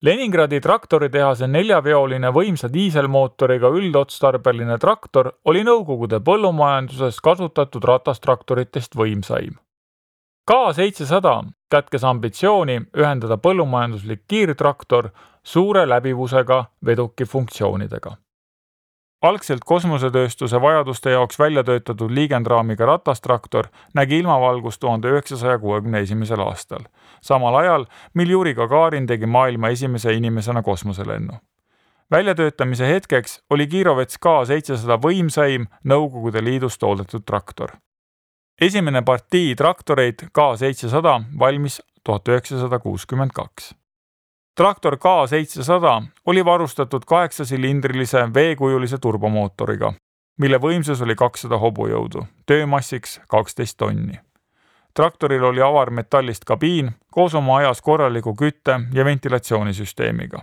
Leningradi traktoritehase 4-veoline võimsa diiselmootoriga üldotstarbeline traktor oli Nõukogude põllumajanduses kasutatud ratastraktoritest võimsaim. K700 kätkes ambitsiooni ühendada põllumajanduslik kiirtraktor suure läbivusega veduki funktsioonidega. Algselt kosmosetööstuse vajaduste jaoks välja töötatud liigendraamiga ratastraktor nägi ilmavalgust 1961. aastal, samal ajal, mil Juri Gagarin tegi maailma esimese inimesena kosmoselennu. Väljatöötamise hetkeks oli Kirovets K700 võimsaim Nõukogude Liidus toodetud traktor. Esimene partii traktoreid K700 valmis 1962. Traktor K700 oli varustatud 8-silindrilise veekujulise turbomootoriga, mille võimsus oli 200 hobujõudu, töömassiks 12 tonni. Traktoril oli avarmetallist kabiin koos oma ajas korraliku kütte- ja ventilatsioonisüsteemiga.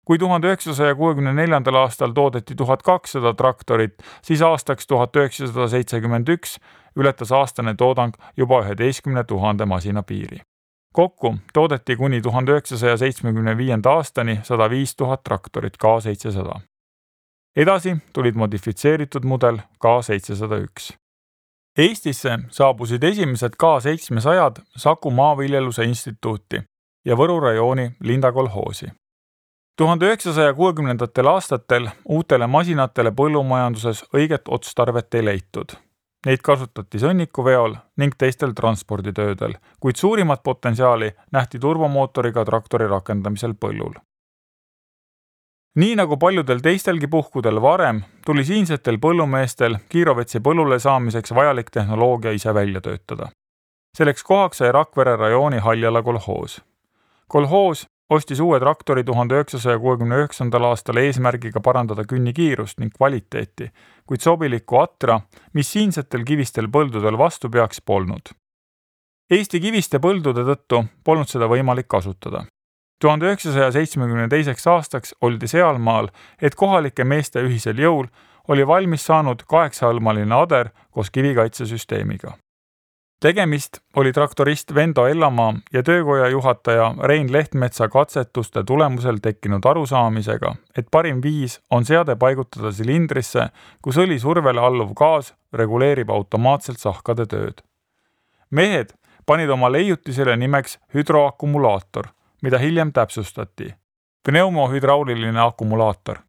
Kui 1964. aastal toodeti 1200 traktorit, siis aastaks 1971 ületas aastane toodang juba 11 000 masina piiri. Kokku toodeti kuni 1975. aastani 105 000 traktorit K700. Edasi tulid modifitseeritud mudel K701. Eestisse saabusid esimesed K700 Saku Maaviljeluse Instituuti ja Võru rajooni Linda kolhoosi. 1960. aastatel uutele masinatele põllumajanduses õiget otstarvet ei leitud. Neid kasutati sõnnikuveol ning teistel transporditöödel, kuid suurimat potentsiaali nähti turbomootoriga traktori rakendamisel põllul. Nii nagu paljudel teistelgi puhkudel varem, tuli siinsetel põllumeestel Kirovetsi põllule saamiseks vajalik tehnoloogia ise välja töötada. Selleks kohaks sai Rakvere rajooni Haljala kolhoos. Kolhoos ostis uue traktori 1969. aastal eesmärgiga parandada künnikiirust ning kvaliteeti, kuid sobilikku atra, mis siinsetel kivistel põldudel vastu peaks, polnud. Eesti kiviste põldude tõttu polnud seda võimalik kasutada. 1972. aastaks oldi sealmaal, et kohalike meeste ühisel jõul oli valmis saanud 8-hõlmaline ader koos kivikaitsesüsteemiga. Tegemist oli traktorist Vendo Ellamaa ja töökoja juhataja Rein Lehtmetsa katsetuste tulemusel tekkinud arusaamisega, et parim viis on seade paigutada silindrisse, kus õli survele alluv gaas reguleerib automaatselt sahkade tööd. Mehed panid oma leiutisele nimeks hüdroakumulaator, mida hiljem täpsustati. Pneumohüdrauliline akumulaator.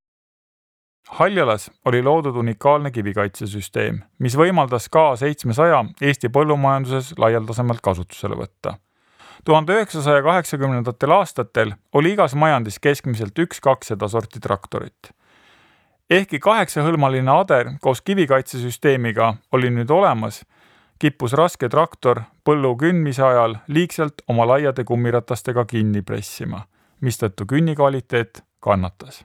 Haljalas oli loodud unikaalne kivikaitsesüsteem, mis võimaldas K700 Eesti põllumajanduses laialdasemalt kasutusele võtta. 1980. aastatel oli igas majandis keskmiselt 1-2 seda sorti traktorit. Ehkki 8-hõlmaline ader koos kivikaitsesüsteemiga oli nüüd olemas, kippus raske traktor põllu kündmise ajal liigselt oma laiade kummiratastega kinni pressima, mistõttu künni kvaliteet kannatas.